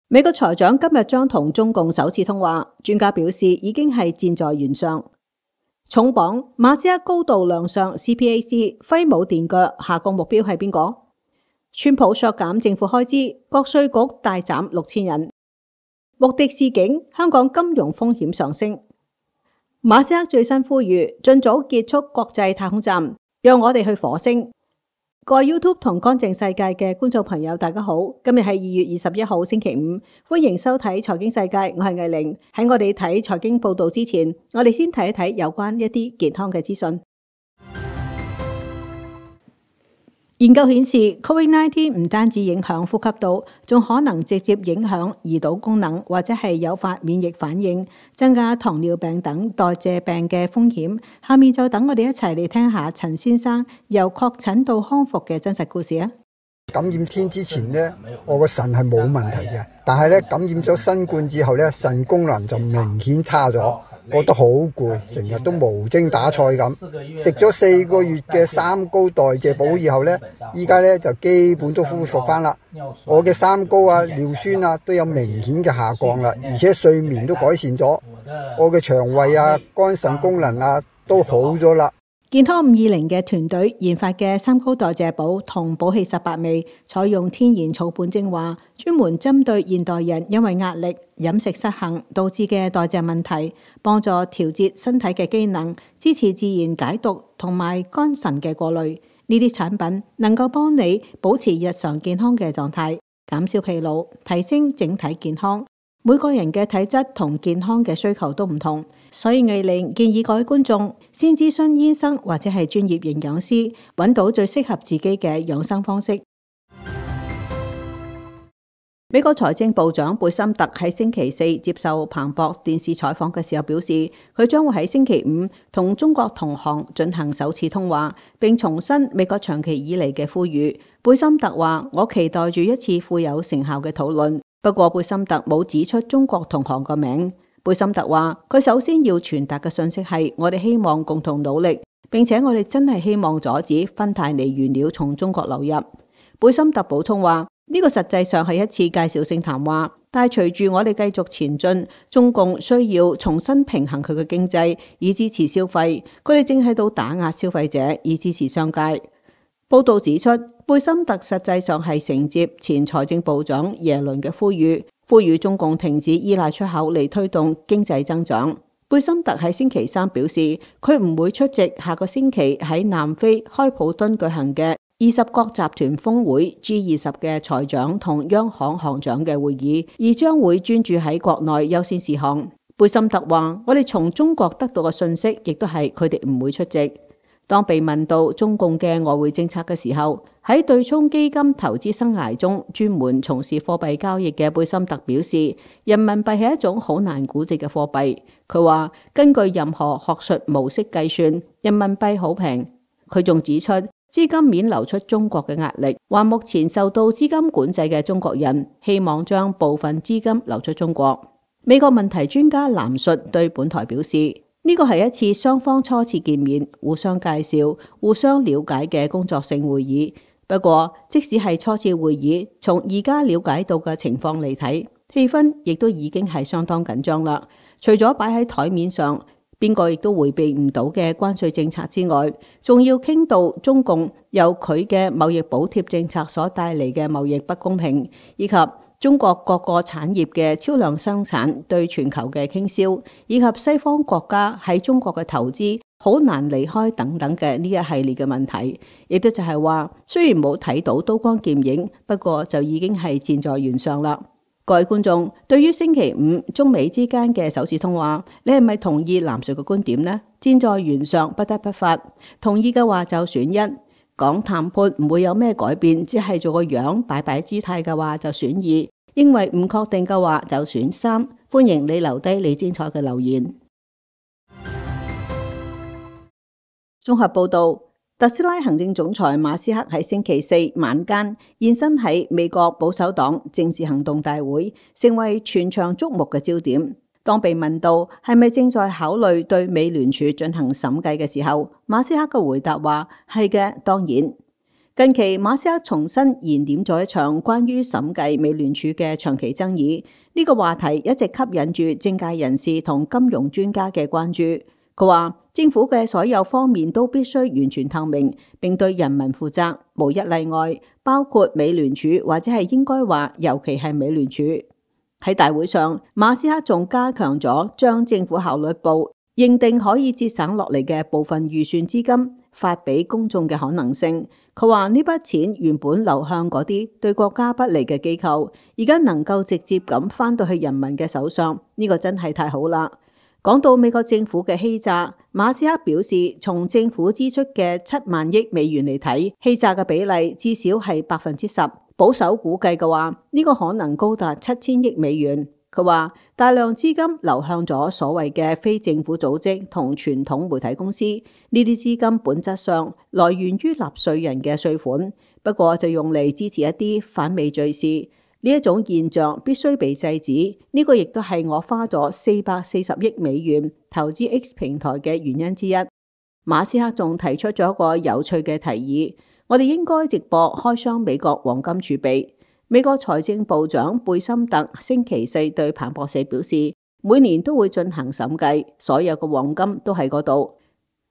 美國財長今日將同中共首次通話，專家表示已經係箭在弦上。重磅，馬斯克高度亮相 CPAC， 揮舞電鋸，下個目標係邊個？川普削減政府開支，國稅局大斬6000人。穆迪示警，香港金融風險上升。馬斯克最新呼籲，盡早結束國際太空站，讓我哋去火星。各位 YouTube 同乾淨世界嘅觀眾朋友，大家好，今日係2月21號星期五，歡迎收睇財經世界，我係藝玲。喺我哋睇財經報道之前，我哋先睇一睇有關一啲健康嘅資訊。研究顯示 ，COVID-19 唔單止影響呼吸道，仲可能直接影響胰島功能，或者係誘發免疫反應，增加糖尿病等代謝病嘅風險。下面就等我哋一齊嚟聽下陳先生由確診到康復嘅真實故事啊！感染天之前呢，我個腎係冇問題嘅，但係咧感染咗新冠之後咧，腎功能就明顯差咗。覺得好攰，成日都無精打采咁。食咗4個月嘅三高代謝補以後呢，依家呢就基本都恢復翻啦。我嘅三高啊、尿酸啊都有明顯嘅下降啦，而且睡眠都改善咗。我嘅腸胃啊、肝腎功能啊都好咗啦。健康520嘅團隊研發嘅三高代謝補同補氣18味，採用天然草本精華，專門針對現代人因為壓力、飲食失衡導致嘅代謝問題，幫助調節身體嘅機能，支持自然解毒同埋肝腎嘅過濾。呢啲產品能夠幫你保持日常健康嘅狀態，減少疲勞，提升整體健康。每個人嘅體質同健康嘅需求都唔同，所以藝玲建議各位觀眾先諮詢醫生或者係專業營養師，揾到最適合自己嘅養生方式。美國財政部長貝森特喺星期四接受彭博電視採訪嘅時候表示，佢將會喺星期五同中國同行進行首次通話，並重申美國長期以嚟嘅呼籲。貝森特話：我期待住一次富有成效嘅討論。不過貝森特冇指出中國同行個名。貝森特話：佢首先要傳達嘅信息係，我哋希望共同努力，並且我哋真係希望阻止芬太尼原料從中國流入。貝森特補充話：呢個實際上係一次介紹性談話，但係隨住我哋繼續前進，中共需要重新平衡佢嘅經濟，以支持消費。佢哋正喺度打壓消費者，以支持商界。報道指出，貝森特實際上係承接前財政部長耶倫嘅呼籲中共停止依賴出口嚟推動經濟增長。貝森特喺星期三表示，佢唔會出席下個星期喺南非開普敦舉行嘅20國集團峰會 G20 嘅財長同央行行長嘅會議，而將會專注喺國內優先事項。貝森特話：我哋從中國得到嘅信息，亦都係佢哋唔會出席。當被問到中共嘅外匯政策嘅時候，喺對沖基金投資生涯中專門從事貨幣交易嘅貝森特表示，人民幣係一種好難估值嘅貨幣。佢話根據任何學術模式計算，人民幣好平。佢仲指出，資金面流出中國嘅壓力，話目前受到資金管制嘅中國人希望將部分資金流出中國。美國問題專家藍述對本台表示，呢個係一次雙方初次見面、互相介紹、互相了解嘅工作性會議。不過，即使係初次會議，從而家了解到嘅情況嚟睇，氣氛亦都已經係相當緊張啦。除咗擺喺台面上，邊個亦都迴避唔到嘅關稅政策之外，仲要傾到中共由佢嘅貿易補貼政策所帶嚟嘅貿易不公平，以及中國各個產業嘅超量生產對全球嘅傾銷，以及西方國家喺中國嘅投資好難離開等等嘅呢一系列嘅問題，亦都就係話，雖然冇睇到刀光劍影，不過就已經係箭在弦上啦。各位觀眾，對於星期五中美之間嘅首次通話，你係咪同意藍述嘅觀點呢？箭在弦上，不得不發。同意嘅話就選1。講談判唔會有咩改變，只係做個樣擺擺姿態嘅話就選2，認為唔確定嘅話就選3。歡迎你留低你精彩嘅留言。綜合報道，特斯拉行政總裁馬斯克喺星期四晚間現身喺美國保守黨政治行動大會，成為全場矚目嘅焦點。當被問到係咪正在考慮對美聯儲進行審計嘅時候，馬斯克嘅回答話：係嘅，當然。近期馬斯克重新燃點咗一場關於審計美聯儲嘅長期爭議，呢個話題一直吸引住政界人士同金融專家嘅關注。佢話政府嘅所有方面都必須完全透明，並對人民負責，無一例外，包括美聯儲，或者係應該話尤其係美聯儲。喺大會上，馬斯克仲加強咗將政府效率部認定可以節省落嚟嘅部分預算資金發俾公眾嘅可能性。佢話呢筆錢原本流向嗰啲對國家不利嘅機構，而家能夠直接咁返到去人民嘅手上，呢個真係太好啦。講到美國政府嘅欺詐，馬斯克表示，從政府支出嘅7萬億美元嚟睇，欺詐嘅比例至少係10%，保守估計嘅話，呢個可能高達7000億美元。佢話大量資金流向咗所謂嘅非政府組織同傳統媒體公司，呢啲資金本質上來源於納稅人嘅稅款，不過就用嚟支持一啲反美罪事。呢一種現象必須被制止，呢個亦都係我花咗440億美元投資 X 平台嘅原因之一。馬斯克仲提出咗一個有趣嘅提議，我哋應該直播開箱美國黃金儲備。美國財政部長貝森特星期四對彭博社表示，每年都會進行審計，所有嘅黃金都喺嗰度。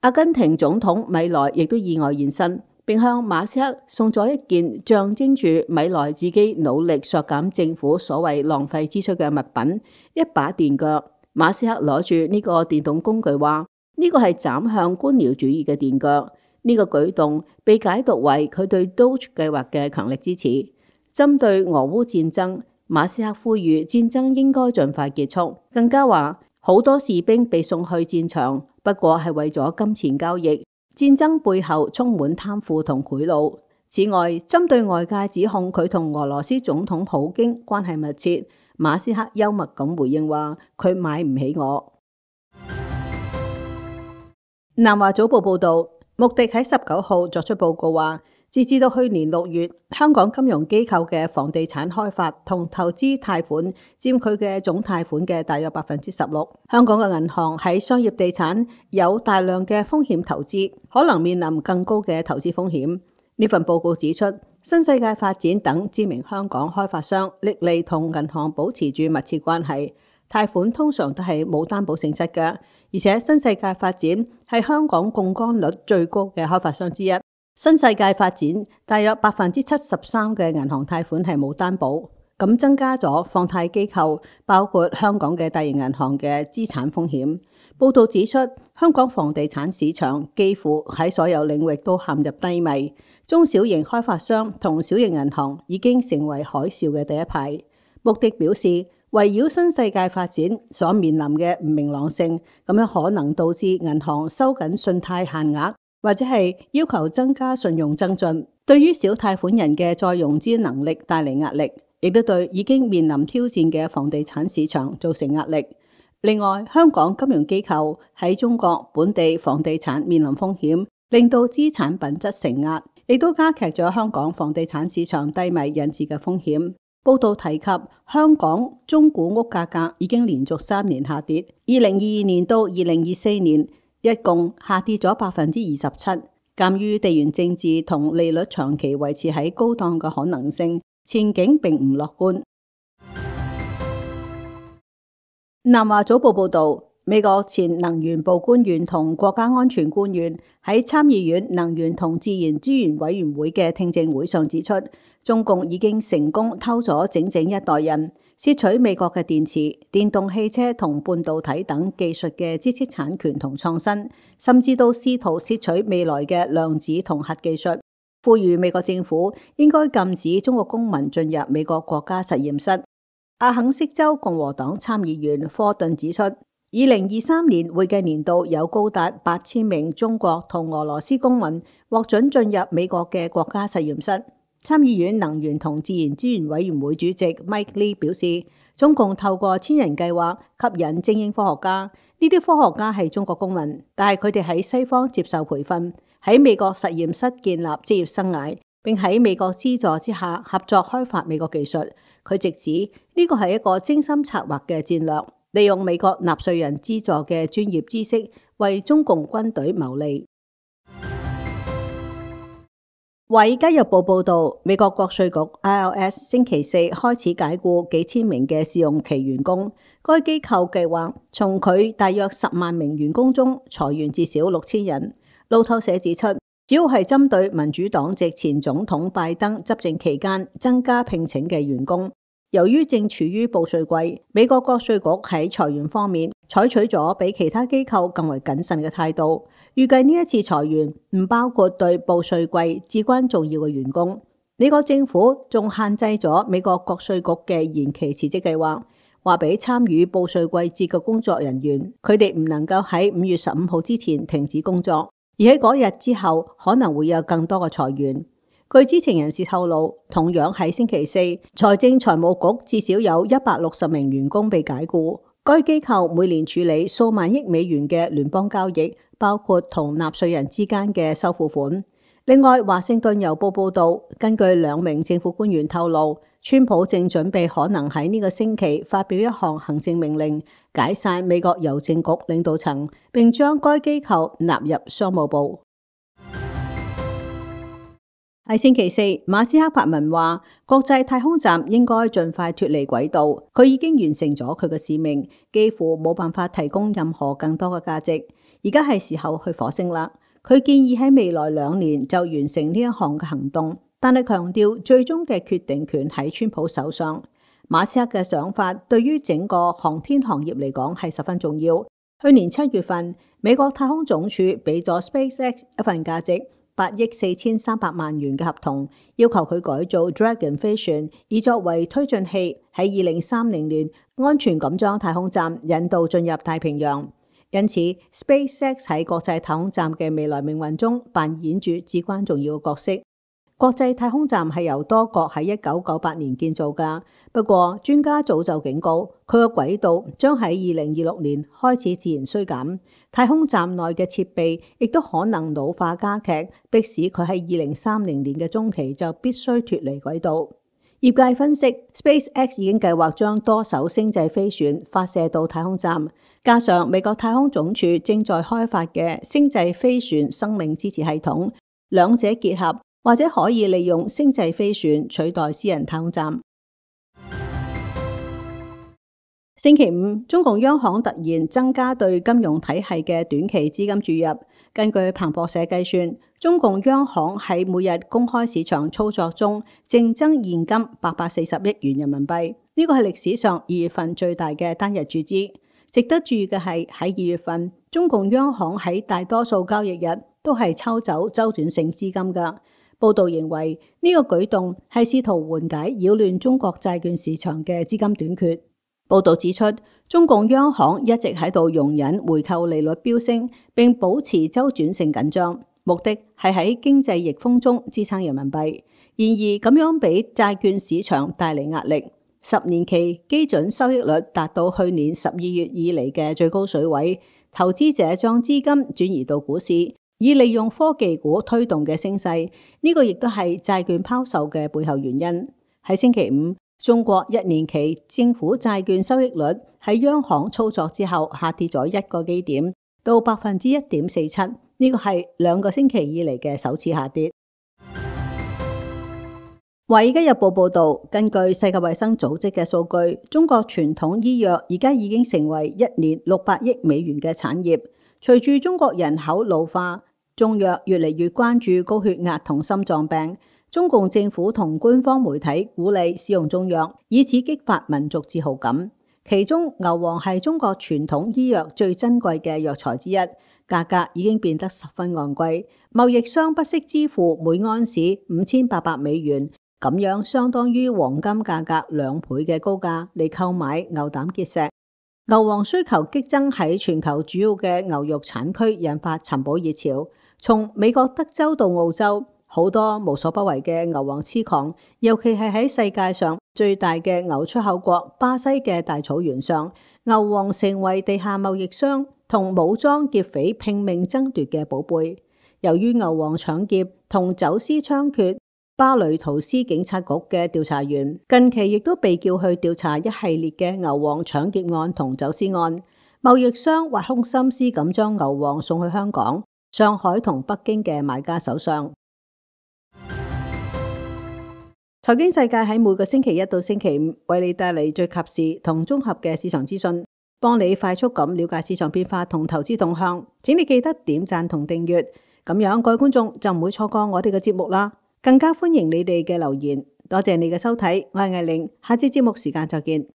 阿根廷總統米萊亦都意外現身，並向馬斯克送咗一件象徵住米萊自己努力削減政府所謂浪費支出嘅物品——一把電鋸。馬斯克攞住呢個電動工具話，呢個係斬向官僚主義嘅電鋸。呢個舉動被解讀為佢對 Doge 計劃嘅強力支持。針對俄烏戰爭，馬斯克呼籲戰爭應該盡快結束，更加話好多士兵被送去戰場，不過係為咗金錢交易。戰爭背後充滿貪腐同賄賂。此外，針對外界指控佢同俄羅斯總統普京關係密切，馬斯克幽默咁回應話：佢買唔起我。南華早報報道，穆迪喺19號作出報告話，截至到去年6月，香港金融機構嘅房地產開發同投資貸款佔佢嘅總貸款嘅大約16%。香港嘅銀行喺商業地產有大量嘅風險投資，可能面臨更高嘅投資風險。呢份報告指出，新世界發展等知名香港開發商歷嚟同銀行保持住密切關係，貸款通常都係冇擔保性質嘅，而且新世界發展係香港槓桿率最高嘅開發商之一。新世界發展大約73%嘅銀行貸款係冇擔保，咁增加咗放貸機構包括香港嘅大型銀行嘅資產風險。報道指出，香港房地產市場幾乎喺所有領域都陷入低迷，中小型開發商同小型銀行已經成為海嘯嘅第一排。穆迪表示，圍繞新世界發展所面臨嘅唔明朗性，咁樣可能導致銀行收緊信貸限額，或者係要求增加信用增進，對於小貸款人嘅再融資能力帶嚟壓力，亦都對已經面臨挑戰嘅房地產市場造成壓力。另外，香港金融機構喺中國本地房地產面臨風險，令到資產品質承壓，亦都加劇咗香港房地產市場低迷引致嘅風險。報道提及，香港中古屋價格已經連續3年下跌，2022年到2024年一共下跌咗27%。鑑於地緣政治同利率長期維持喺高檔嘅可能性，前景並唔樂觀。南華早報報道，美國前能源部官員同國家安全官員喺參議院能源同自然資源委員會嘅聽證會上指出，中共已經成功偷咗整整一代人，竊取美國嘅電池、電動汽車同半導體等技術嘅知識產權同創新，甚至到試圖竊取未來嘅量子同核技術。呼籲美國政府應該禁止中國公民進入美國國家實驗室。阿肯色州共和黨參議員科頓指出，2023年會計年度有高達8000名中國同俄羅斯公民獲准進入美國嘅國家實驗室。參議院能源同自然資源委員會主席 Mike Lee 表示，中共透過千人計劃吸引精英科學家，呢啲科學家係中國公民，但係佢哋喺西方接受培訓，喺美國實驗室建立職業生涯，並喺美國資助之下合作開發美國技術。佢直指呢個係一個精心策劃嘅戰略，利用美國納稅人資助嘅專業知識為中共軍隊謀利。華爾街日報報道，美國國稅局 IRS 星期四開始解僱幾千名嘅試用期員工。該機構計劃從佢大約10萬名員工中裁員至少6000人。路透社指出，主要係針對民主黨籍前總統拜登執政期間增加聘請嘅員工。由於正處於報稅季，美國國稅局喺裁員方面採取咗比其他機構更為謹慎嘅態度。預計呢一次裁員唔包括對報稅季至關重要嘅員工。美國政府仲限制咗美國國稅局嘅延期辭職計劃，話俾參與報稅季節嘅工作人員，佢哋唔能夠喺5月15號之前停止工作，而喺嗰日之後可能會有更多嘅裁員。據知情人士透露，同樣喺星期四，財政財務局至少有160名員工被解僱。該機構每年處理數萬億美元嘅聯邦交易，包括同納稅人之間嘅收付款。另外，華盛頓郵報報道，根據2名政府官員透露，川普正準備可能喺呢個星期發表一項行政命令，解散美國郵政局領導層，並將該機構納入商務部。喺星期四，馬斯克發文話，國際太空站應該盡快脫離軌道，佢已經完成咗佢嘅使命，幾乎冇辦法提供任何更多嘅價值。而家係時候去火星啦。佢建議喺未來2年就完成呢一項嘅行動，但係強調最終嘅決定權喺川普手上。馬斯克嘅想法對於整個航天行業嚟講係十分重要。去年7月份，美國太空總署俾咗 SpaceX 一份價值8億4300萬元嘅合同，要求佢改造 Dragon 飛船，以作為推進器，喺2030年安全咁將太空站引導進入太平洋。因此 SpaceX 喺國際太空站嘅未來命運中扮演住至關重要嘅角色。國際太空站係由多國喺1998年建造㗎，不過專家早就警告，佢嘅軌道將喺2026年開始自然衰減，太空站內嘅設備亦都可能老化加劇，迫使佢喺2030年嘅中期就必須脫離軌道。業界分析 ，SpaceX 已經計劃將多艘星際飛船發射到太空站，加上美國太空總署正在開發嘅星際飛船生命支持系統，兩者結合，或者可以利用星際飛船取代私人太空站。星期五，中共央行突然增加對金融體系嘅短期資金注入。根據彭博社計算，中共央行喺每日公開市場操作中淨增現金840億元人民幣，呢個係歷史上2月份最大嘅單日注資。值得注意嘅係喺2月份，中共央行喺大多數交易日都係抽走周轉性資金㗎。報道認為呢個舉動係試圖緩解擾亂中國債券市場嘅資金短缺。報道指出，中共央行一直喺度容忍回購利率飆升，並保持周轉性緊張，目的係喺經濟逆風中支撐人民幣。然而咁樣俾債券市場帶嚟壓力，10年期基準收益率達到去年12月以嚟嘅最高水位，投資者將資金轉移到股市，以利用科技股推動嘅升勢，呢個亦都係債券拋售嘅背後原因。喺星期五，中國1年期政府債券收益率喺央行操作之後下跌咗1個基點到 1.47%， 呢個係2個星期以嚟嘅首次下跌。華爾街日報報道，根據世界衛生組織嘅數據，中國傳統醫藥而家已經成為1年600億美元嘅產業。隨住中國人口老化，中藥越嚟越關注高血壓同心臟病。中共政府同官方媒體鼓勵使用中藥，以此激發民族自豪感。其中牛黃係中國傳統醫藥最珍貴嘅藥材之一，價格已經變得十分昂貴，貿易商不惜支付每安士5800美元，咁樣相當於黃金價格2倍嘅高價嚟購買牛膽結石。牛黃需求激增喺全球主要嘅牛肉產區，引發尋寶熱潮。從美國德州到澳洲，好多無所不為嘅牛黃痴狂，尤其係喺世界上最大嘅牛出口國巴西嘅大草原上，牛黃成為地下貿易商同武裝劫匪拼命爭奪嘅寶貝。由於牛黃搶劫同走私猖獗，巴雷圖斯警察局嘅調查員近期亦都被叫去調查一系列嘅牛黃搶劫案同走私案。貿易商挖空心思咁將牛黃送去香港、上海同北京嘅買家手上。財經世界喺每個星期一到星期五為你帶嚟最及時同綜合嘅市場資訊，幫你快速咁了解市場變化同投資動向。請你記得點讚同訂閱，咁樣各位觀眾就唔會錯過我哋嘅節目啦。更加歡迎你哋嘅留言，多謝你嘅收睇，我係艾玲，下次節目時間再見。